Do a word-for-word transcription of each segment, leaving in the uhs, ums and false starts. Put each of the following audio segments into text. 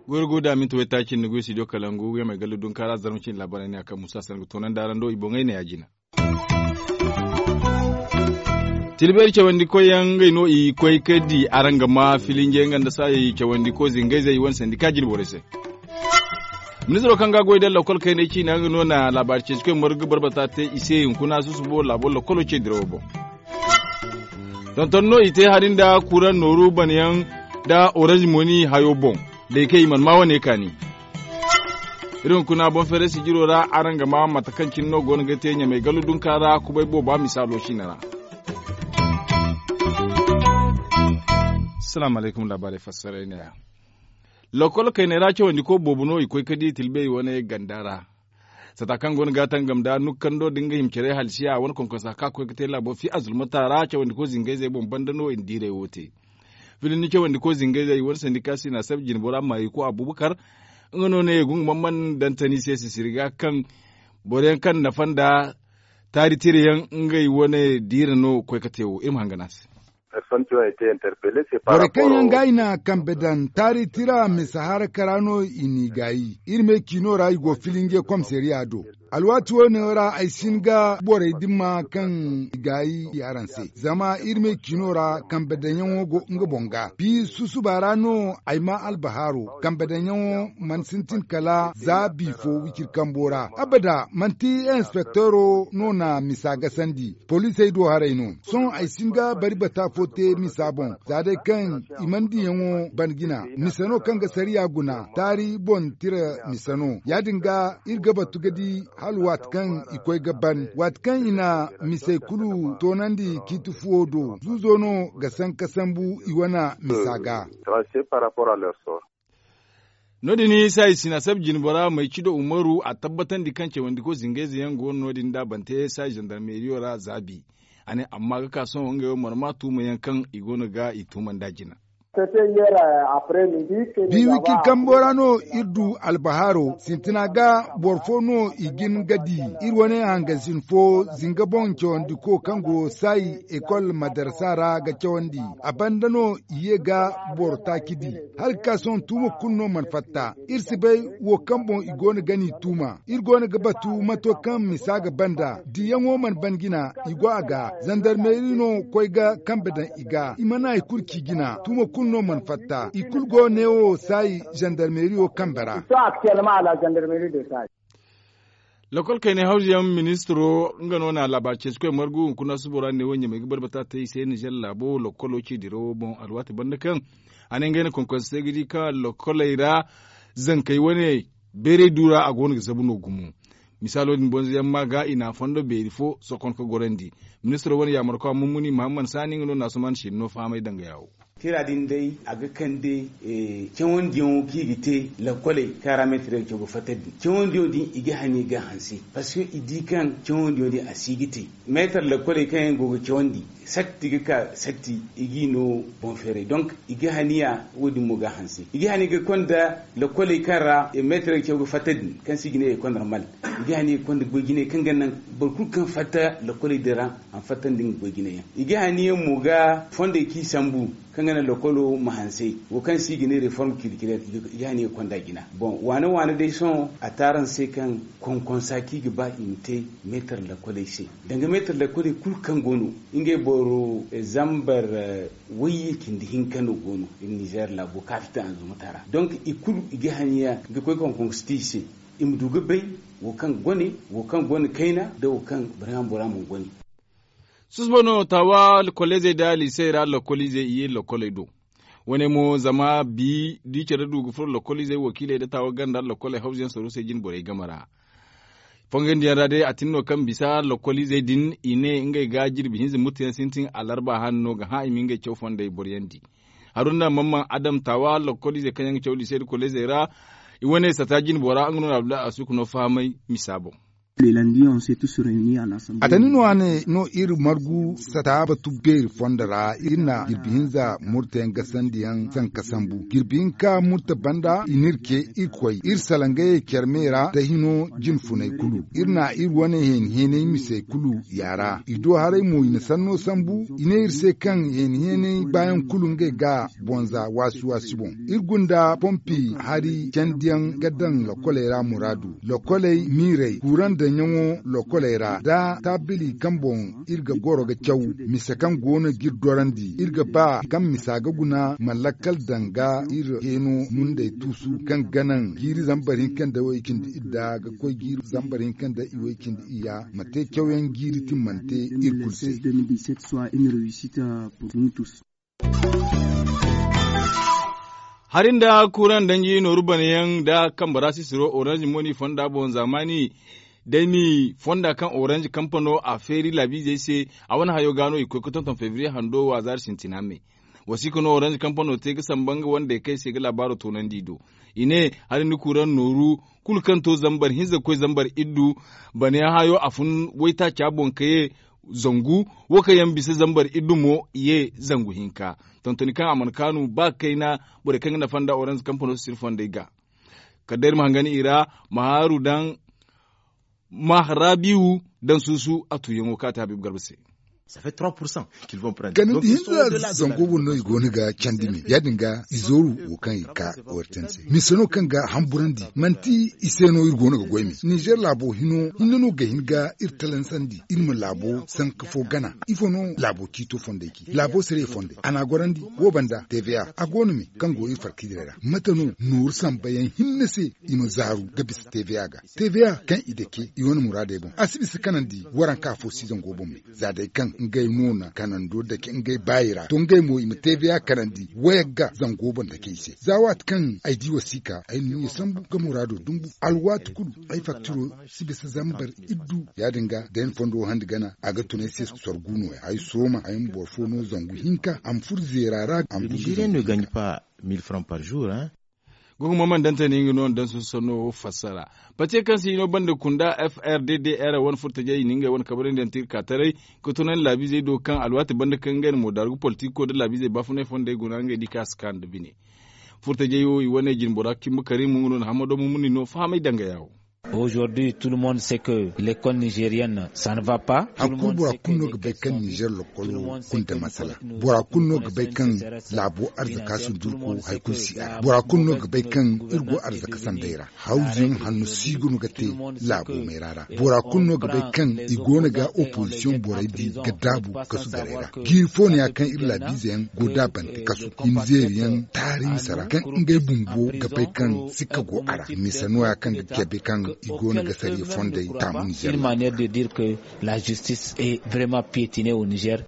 Goy ro go da minti waytaaci nda goy studio kalangu yaŋ ma ay galle dunkaara zarma cine laabaarey ne a kaŋ musa sanda ga toonandi araŋ do i boŋey ne ya- jina. Tilbeeri cawandikoy yaŋ ngey no i koy ka di araŋ ga ma filinje nga nda saayey cawandiko zingayzey i wane sandika jine borey se. Ministiro kaŋ ga a goy da lakkol kayney ciina nga no na laabaari ceecikoy margu barbata te i se hunkuna susubo laabo lakkolo ce dirawo boŋ. Tonton no i te hari nda kuraŋ nooru banayaŋ nda orange moni hayo boŋ. Day kaŋ i mana ma wane kaani. Iri hunkuna boŋ feeray sijiro ra araŋ ga ma mate kaŋ cine no go no ga te ɲamay gallu dunka ra kubay booba misaalo siina ra. Salaamu alaykum laabaarey fassaray ne- ya. Lakkol kayney ra cawandiko boobo no i koy ka di tilbey wane ganda ra. Sata kaŋ go no ga a tangam nda nukkando nda nga hima care halsiya a wane konkonsa kaŋ a koy ga te laabo fi azulmata ra cawandiko zingayzey boŋ banda no i na diiray wo te. Filin ni cawandiko zingayzey i wane sandika sina sab jinbora maayiko abubakar. Nga no ne gungu man man dantani se sisiri ga kaŋ boro yaŋ kaŋ nafa nda taari tira yaŋ ngey wane diira no koy ka te wo iri ma hangan a se. Borey kaŋ yaŋ ga i na kambe daŋ taari tira misa harakara no i n'i gaayi iri me ciino ra i go filinge komisariya do. Alwaati wo- ne ra ay si hin ga borey dimma kaŋ i gaayi i araŋ se zama iri me ciino ra kambe daŋyaŋo go nga boŋ ga bi susuba ra no ay ma albahaaro kambe daŋyaŋo mana sintin kala za bi fo wiciri kambo ra abada manti inspektoro no na misa gasandi. Poliisey do haray no sohõ ay si hin ga bari bata fo te misa boŋ za day kaŋ i mana diyaŋo ban jina mise no kaŋ ga sariya guna taari boŋ tira mise no ya- din ga iri ga batu ga di hala waati kaŋ i koy ga ban waati kaŋ i na misey kulu toonandi ciiti fuwo do zuuzo no ga sanka sambu i wane misa ga. No- din saayi sina sab jinbora may cido umaru a tabbatandi kaŋ cawandiko zingayze yaŋ go no- din da bante saayi zandarmeriyo ra zaabi. A ne amma ga ka sohõ ngey wo mana ma tuuma yaŋ kaŋ i go no ga i tuuma nda jina. Bi wikiri kambo ra no iri du albahaaro sintina ga boro fo no i jin ga di iri wane hangansin fo zinga boŋ cawandiko kaŋ go saayi ekol madarasa ra ga cawandi a banda no i ye ga boro taaci di. Hala ga ka sohõ tuuma kulu no mana fatta iri si bay wo kaŋ boŋ i go no ga n'i tuuma iri go no ga batu mato kaŋ misa ga banda diyaŋo mana ban jina i go a ga zandarmeri no koy ga kambe daŋ i ga i mana hari kulu ci jina tuuma kulu no mana fatta i kulu go neewo saayi zandarmeriyo kambe ra. Lakkol kaynay hawzuyaŋ ministiro nga no na laabaari ceecikoy margu hunkuna subo ra ne wo ɲamay ga barbata te i se nizer laabo lakkolo ci dirawo boŋ alwaati banda kaŋ a ne ngey na konkonse se ga di kaŋ lakkoley ra zankey wane beeray du ra a go no ga zabu no gumo. Misaalo din bonzoyaŋ ma ga i na a fondo beeri fo sokon ka gorandi. Ministiro wane yaamarkwa mummuni mahammad saani nga no na asuman shinno fahamay danga yaawo. Tira din day a ga kande cawandiyaŋo kaŋ i ga te lakkoley kaŋ ra meetarey ga caw ga fatta din cawandiyaŋo din i ga hane ga hanse. Parceque i di kaŋ cawandiyaŋo din a si ga te meetar lakkoley kaŋ yaŋ go ga cawandi satti ga ka satti i g'i no boŋ feeray donk i ga haniya wo- din mo ga hanse i ga haniya ga konda lakkoley kaŋ ra meetarey ga caw ga fatta din kaŋ se i ga ne ekol normal. I ga haniya ga konda goy jinay kaŋ ga naŋ boro kulu kaŋ fatta lakkoley din ra a ma fattandi nga goy jinay yaŋ i ga haniya mo ga fondey kaŋ i sambu kaŋ ga naŋ lakolo ma hanse wo kaŋ se i ga ne reform culturel. I ga haniya ga konda jina boŋ waane waane day sohõ a te araŋ se kaŋ konkonsa kaŋ i ga ba i ma te meetar lakoley se danga meetar lakoley kulu kaŋ go no ngey boro zambar wayye cindi hinka no go no iri nizer laabo kaŋ a fita anzumata ra donk i kulu i ga haniya ga koy konkonsa te i se i ma du ga bay wo kaŋ gone wo kaŋ gone kayna nda wo kaŋ barham bora mana gone. Susubo no taawa kolleezey nda liisey ra lakkoliizey i ye lakkoley do. Wane mo zama bi da i care du ga furo lakkoliizey wakiiley nda taawa ganda lakkol ay hawzuyaŋ saruusey jine borey game ra. Fongandiyaŋ ra day a tin no kaŋ bisa lakkoliizey din i ne ngey ga jirbi hinza murtayaŋ sintin alarba han no ga hã i ma ngey caw fondey boryandi. Haruna mamman adam taawa lakkoliizey kaŋ yaŋ ga caw liisey nda kolleezey ra. I wane sata jine bora nga no na abdullahi asuku no fahamay misa boŋ. A tani no a ne no iri margu sata batu beeri fondo ra iri na jirbi hinza murta yaŋ gasandi yaŋ sanka sambu jirbi hinka murta banda i n'iri ce iri koy iri salaŋ gayey care me ra da hino jinfuney kulu iri na iri wane heeni heenay misey kulu yaara i do haray mo i na sanno sambu i ne iri se kaŋ heeni heenay baayaŋ kulu ngey ga bonza waasi waasi boŋ iri gunda pompi hari candiyaŋ ga daŋ lokoley ra muraadu lokoley miirey kuran daŋyaŋo lokoley ra da taabili kaŋ boŋ iri ga goro ga caw mise kaŋ go no ga iri dorandi iri ga ba kaŋ misa ga guna ma lakkal daŋ ga iri heeno mundey tuusu kaŋ ga naŋ jiiri zambar hinka nda way cindi idda ga koy jiiri zambar hinka nda i way cindi iyya ma te cawyaŋ jiiri timmante iri kulu se. Hari nda kuran danji nooru banayaŋ nda kambara sisiro orange moni fonda boŋ zaamaani day ni fonda kaŋ orange kampano a feeri laabiizey se a wane hayo ga no i koy ga tonton febriye hando waazaari sintina me. Wasiika no orange kampano te ga samba nga wandey kaŋ ay se ga laabaaro toonandi i do i ne hari ni kuran nooru kulu kaŋ to zambar hinza ga koy zambar iddu banayaŋ hayo a fun waytaaca boŋ ka ye zangu wo kaŋ yaŋ bisa zambar iddu mo i ye zangu hinka. Tontoni kaŋ a mana kaanu ba kayna borey kaŋ ga nafa nda orange kampano sisiri fondey ga kala day iri ma hangan i ra ma haaru daŋ ma harabiwu daŋ suusu a tuuyaŋo kaŋ a te habiibu garba se. Kala da hinza zango boŋ no i go no ga candi me ya- din ga i zooru wo kaŋ i ka wartan se mise no kaŋ ga hamburandi manti i se no iri go no ga goy me ninzeer laabo hino hinne no ga hin ga iri talansandi iri ma laabo sanka fo gana ifo no laabo ciito fondey ci laabo sariya fondey a n'a gorandi wo banda tva a go no me kaŋ go iri farkidirey ra mate no nooru sambayaŋ hinne se i ma zaaru ga bisa tva ga tva kaŋ i dake i wane muraadey boŋ a si bisa kanandi waranka fo si zango boŋ me za day kaŋ ngey no na kanando dake ngey baayi ra to ngey mo i ma tva kanandi wayagga zango boŋ dake i se za waati kaŋ ay di wasiika ay na ɲiya sambu ga muraado dumbu alwaati kulu ay faktiro si bisa zambar iddu ya- din ga da ay na fondo handi gana a ga tun ay se sorgu nooya ay sooma ay ma boro fo no zangu hinka a ma furo zeera ra a ma furo zangu hinka. Gogo mo mana daŋ te no nga no na daŋ susu sanno wo fassara. Pate kaŋ se i no banda kunda f r d d r wane furtajey i na ngey wane kabarandiyaŋ te iri ka taray ka tunandi laabiizey do kaŋ alwaati banda kaŋ ngey na moodaaru ga politiko nda laabiizey baafunay fondey guna ngey di kaŋ a si ka nda bine. Furtajey wo i wane jinbora cimba karimu nga no na hamado mumuni no fahamay dangaya wo. Aujourd'hui tout le monde sait que l'école nigérienne ça ne va pas. Hari kulu bora kulu no ga bay kaŋ nizer lokolo kunda masala. Bora kulu no ga bay kaŋ laabo arzaka sundurko hari kulu si a ra bora kulu no ga bay kaŋ iri go arzaka sanday ra. Hawzuyaŋ hanno si ga no ga te laabo mayra ra bora kulu no ga bay kaŋ i go no ga opozisiyoŋ borey di ga daabu kasu garey ra. Jiiri fo no ya kaŋ iri laabiize yaŋ go daabante kasu i ma zeeri yaŋ taari misa ra kaŋ ngey bumbo ga bay kaŋ sikka go a ra misa no ya kaŋ ga cabe kaŋ i go no ga sariya fondey taamu nizer. Une manière de dire que la justice est vraiment piétinée au nizer.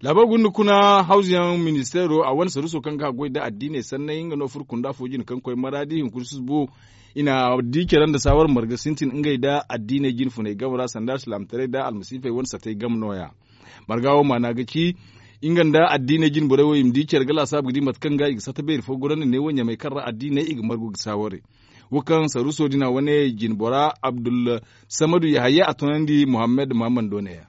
Laabo gunda kuna hawzuyaŋ ministeero a wane saruuso kaŋ ga a goy nda addiiney sanney nga no furo kunda fo jine kaŋ koy maraadi hunkuna susubo i na di care nda saawar marga sintin ngey nda addiiney jine funey game ra sanda alsilaamataray nda almasiifey wane satey game no- ya. Marga wo maana ga ci nga nda addiiney jine borey wo i ma di care ga laasaabu ga di mate kaŋ ga i ga sata beeri fo gorandi neewo ɲamey kaŋ ra addiiney i ga margu ga saaware. Wo kaŋ saruuso din a wane jine bora abdulsamadu yahaya a tunandi muhammad muhammad do ne ya.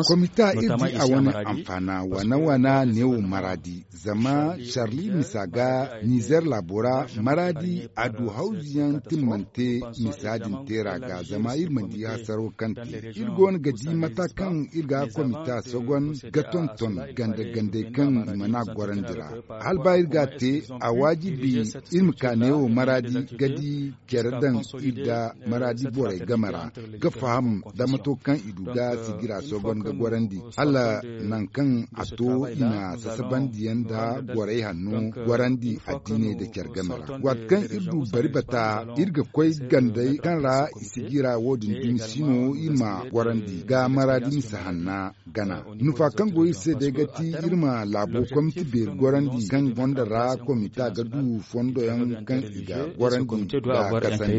Komita iri di a wane anfaana waana waana neewo maraadi zama sharli misa ga nizer laabo ra maraadi a du hawzuyaŋ timmante misa din teera ga zama iri mana di hasaro kaŋ te iri go no ga di mata kaŋ iri ga komita sogon ga tonton ganda gandey kaŋ i mana gorandi ra. Hala ba iri ga a te a waajibi iri ma ka neewo maraadi ga di care daŋ iri nda maraadi borey game ra ga faham da mato kaŋ i du ga sigira sogon ga gorandi hala nangu kaŋ a to i na sasabandiyaŋ nda gorey hanno gorandi addiiney nda care game ra. Waati kaŋ iri du bari bata iri ga koy gandey kaŋ ra i sigira wo- din dumi si no iri ma gorandi ga maraadi misa hanna gana nufa kaŋ go iri se day ga ti iri ma laabo komiti beeri gorandi kaŋ gonda ra komita ga du fondoyaŋ kaŋ i ga gorandi nda kasandi.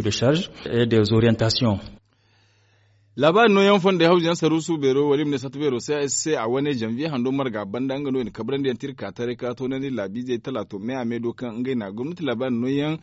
Laabaari nooyaŋ fondey hawzuyaŋ saruusu beero wala i ma ne sata beero se a wane janviye hando marga banda nga no i na kabrandi yaŋ te iri ka taray ka toonandi laabiizey talaato me a me do kaŋ ngey na gomnati laabaari nooyaŋ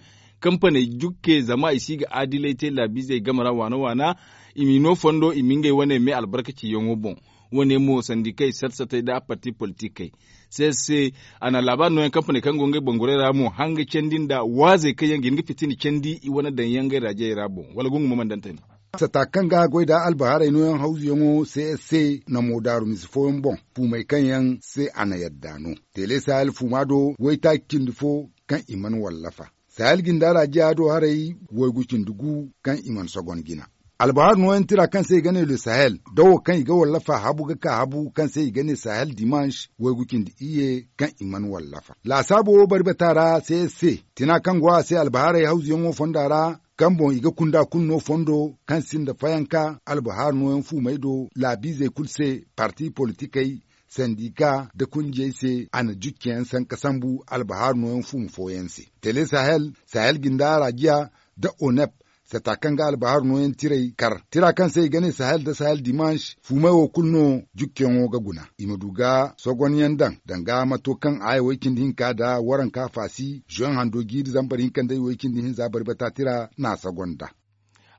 Kampaney jukke zama i si ga adilay te laabiizey game ra waana waana. I m'i no fondo i ma ngey wane me albarkaciyaŋo boŋ. Wo- ne mo sandikey sat satey nda parti politikey. Se se a na laabaari nooyaŋ kampaney kaŋ go ngey bangurey ra mo hanga candi nda waazey kaŋ yaŋ ga hin ga fitina candi i wane daŋ yaŋ ngey raajiyey ra boŋ wala gungu ma mana daŋ tani. Sata kaŋ ga a goy nda albahaarey nooyaŋ hawzuyaŋo se se na mo daaru misi fooyaŋ boŋ fuumey kaŋ yaŋ se a na yadda no. Teele sahel fuuma do waytaaci cindi fo kaŋ i mana wallafa. Sahel jinda raajiya do haray waygu cindi gu kaŋ i mana sogon jina. Albahar nooyaŋ tira kaŋ se i ga ne le sahel da wo kaŋ i ga wallafa habu ga ka habu kaŋ se i ga ne sahel dimanche waygu cindi iyye kaŋ i mana wallafa laasaabo wo bari bata ra se se tina kaŋ go a se albahaarey hawzuyaŋo fonda ra kaŋ boŋ i ga kunda kulu no fondo kaŋ sinda fayanka albahar nooyaŋ fuumey do laabiizey kulu se parti politikey sandika nda kunjiyey se a na jukkeyaŋ sanka sambu albahar nooyaŋ fuumu fooyaŋ se. Tele sahel sahel jinda raajiya nda onep sata kaŋ ga albahar nooyaŋ tiray kar tira kaŋ se i ga ne sahel nda sahel dimanche fuumey wo kulu no jukkeyaŋo ga guna i ma du ga sogonyaŋ daŋ danga mato kaŋ aya way- cindi hinka nda waranka faasi zoyaŋ hando jiiri zambar hinka nda i way- cindi hinza barbata tira na a sogon nda.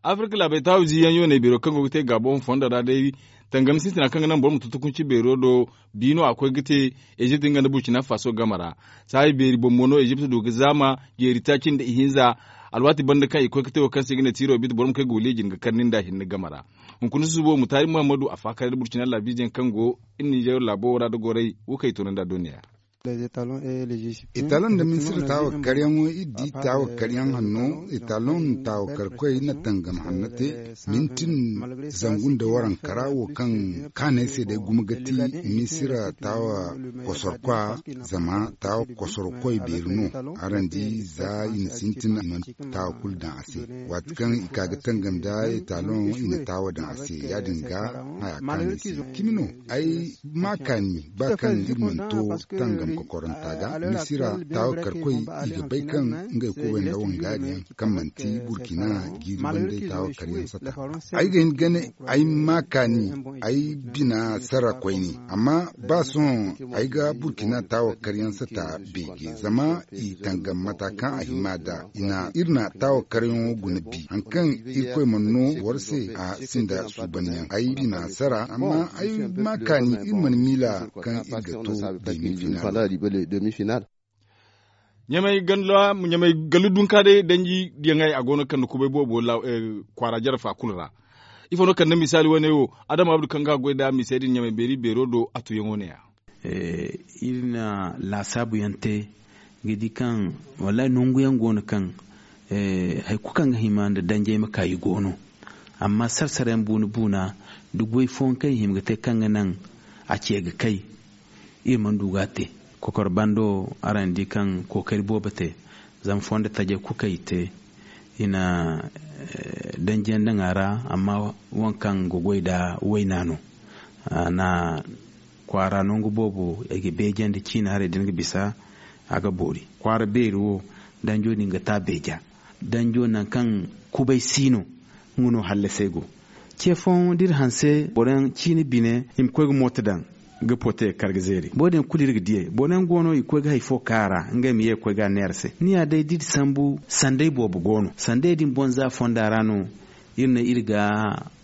Afirka laabey taawu ziiyaŋ yooney beero kaŋ go ga te gaabo fondo ra day tangam sintina kaŋ ga naŋ boro ma tutukunci beero do. Bi no a koy ga te ezipt nga nda burkina faso game ra. Saayi beeri boŋ mo no ezipt du ga zaama jeeri taaci nda ihinza. Alwaati banda kaŋ i koy ga te wo kaŋ se i ga ne tiiro biiti boro ma koy ga waliijin ga kar nin da hinne game ra. Hunkuna susubo mutaari muhammadu a faakar da burkina laabiizeyaŋ kaŋ go ninzeer laabo ra da goray wo kaŋ i toonandi a dooniya. Etalon nda misira taawa karyaŋo iri di taawa karyaŋ hanno etalon taawa karkoy na tangam hanno te mintin zangu nda waranka ra wo kaŋ kaanay se day gumo ga ti misira taawa kosorkwa zama taawa kosorkoy beeri no. Araŋ di za i na sintin i mana taawa kulu daŋ a se. Waati kaŋ i ka ga tangam nda etalon i na taawa daŋ a se ya- din ga haya kaanay se cimi no. Ay ma kaani ba kaŋ iri mana to tangam kokoranta ga misira taawa karkoy i ga bay kaŋ ngey kubay nda wangaariyaŋ kaŋ manti burkina jiiri banday taawa karyaŋ sata. Ay ga hin ga ne ay ma kaani ay bina sara koyne amma ba sohõ ay ga burkina taawa karyaŋ sata beeje zama i tangam mata kaŋ a hima da i na iri na taawa karyaŋo guna bi hari kaŋ irkoy mana no boro se a sinda suubanyaŋ ay bina sara amma ay ma kaani iri mana miila kaŋ iri ga to demi final. Ɲamay gallu dunka day danji diyaŋey a go no ga kande kubay boobo kwaara jarfa kulu ra. Ifo no ga kande misaali wane wo adama abdu kaŋ ga a goy nda misey din ɲamay beeri beero do a tuyaŋo ne- ya. Iri na laasaabu yaŋ te ga di kaŋ wallaahi nangu yaŋ go no kaŋ hari kulu kaŋ ga hima nda danjey ma ka i go no. Amma sara sara yaŋ buuna buuna da goy fooyaŋ kaŋ i hima ga te kaŋ ga naŋ a ce ga kay iri mana du ga a te. Kokoro bando araŋ di kaŋ kookari boobo te zama fondo tajey kulu kaŋ i te i na danjiyaŋ daŋ a ra. Amma waŋ kaŋ ga goy nda wayna no a na kwaara nangu boobo i ga beejandi ciina haray da ni ga bisa a ga boori kwaara beeri wo danjo din ga ta beeja. Danjo nangu kaŋ kubay si no nga no hallasay go. Ce fooyaŋ da iri hanse boro yaŋ ciina bine i ma koy ga mooto daŋ ga pote kar ga zeeri boro din kulu iri ga diyey boro yaŋ go no i ga koy ga hari fo ka a ra ngey ma ye ga koy ga a neera se ni ya day da iri sambu sanday boobo go no sanday din boŋ za fonda ra no. Iri ne iri ga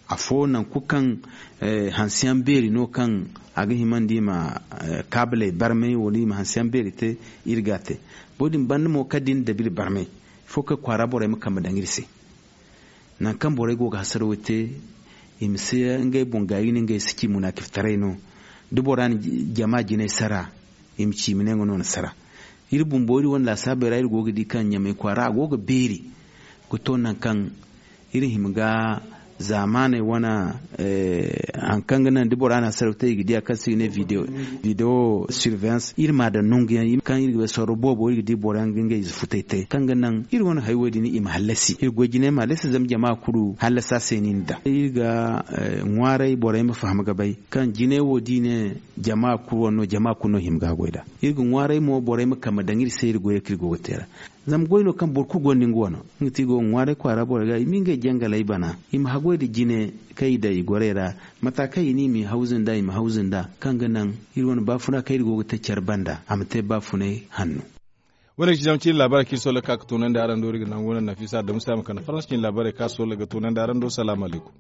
afo nangu kulu kaŋ hanse yaŋ beeri no kaŋ a ga hima nda i ma kaabiley barmay wala i ma hanse yaŋ beeri te. Iri ga a te boro din banda mo kala da i na dabu iri barmay ifo kaŋ kwaara borey ma kambe daŋ iri se. Nangu kaŋ borey go ga hasaraw te i ma si ngey boŋ gaayi ne ngey si ci munaakiftaray no. Da bora na jama jinay sara i ma ci i ma ne nga no na sara. Iri bumbo iri wane laasaabey ra iri go ga di kaŋ ɲamay kwaara a go ga beeri ga to nangu kaŋ iri hima ga zaamaaney wane hari kaŋ ga naŋ da bora na hasaraw te i ga diya kaŋ se i ga ne video surveillance iri ma a daŋ nangu yaŋ kaŋ iri ga bay sorro boobo iri ga di boro yaŋ ga ngey ize futay te kaŋ ga naŋ iri wane hayo din i ma hallasi iri goy jinay ma hallasi zama jama kulu hallasa se no i na daŋ iri ga ŋwaaray borey ma faham ga bay kaŋ jinay wo da i ne jama kulu wane no jama kulu no hima ga goy nd'a. Iri ga ŋwaaray mo borey ma kambe daŋ iri se iri goyey kaŋ iri go ga te ra. Zama goy no kaŋ boro kulu gonda nga wano nga ti i go ga ŋwaaray kwaara borey ga i ma ngey jangaley bana i ma haggoy nda jine kaŋ i daŋ i gorey ra. Mata kaŋ i ne i ma i hawzu nd'a i ma hawzu nd'a kaŋ ga naŋ iri wane baafuna kaŋ iri go ga te care banda a ma te baafunay hanno. Wo- ne ga ci zama ciine laabaarey kaŋ iri sooley ga ka ga toonandi araŋ do iri ga nangu no nafiisa adamu se a ma kande faransa ciine laabaarey kaŋ a sooley ga toonandi araŋ do salaamu alaykum.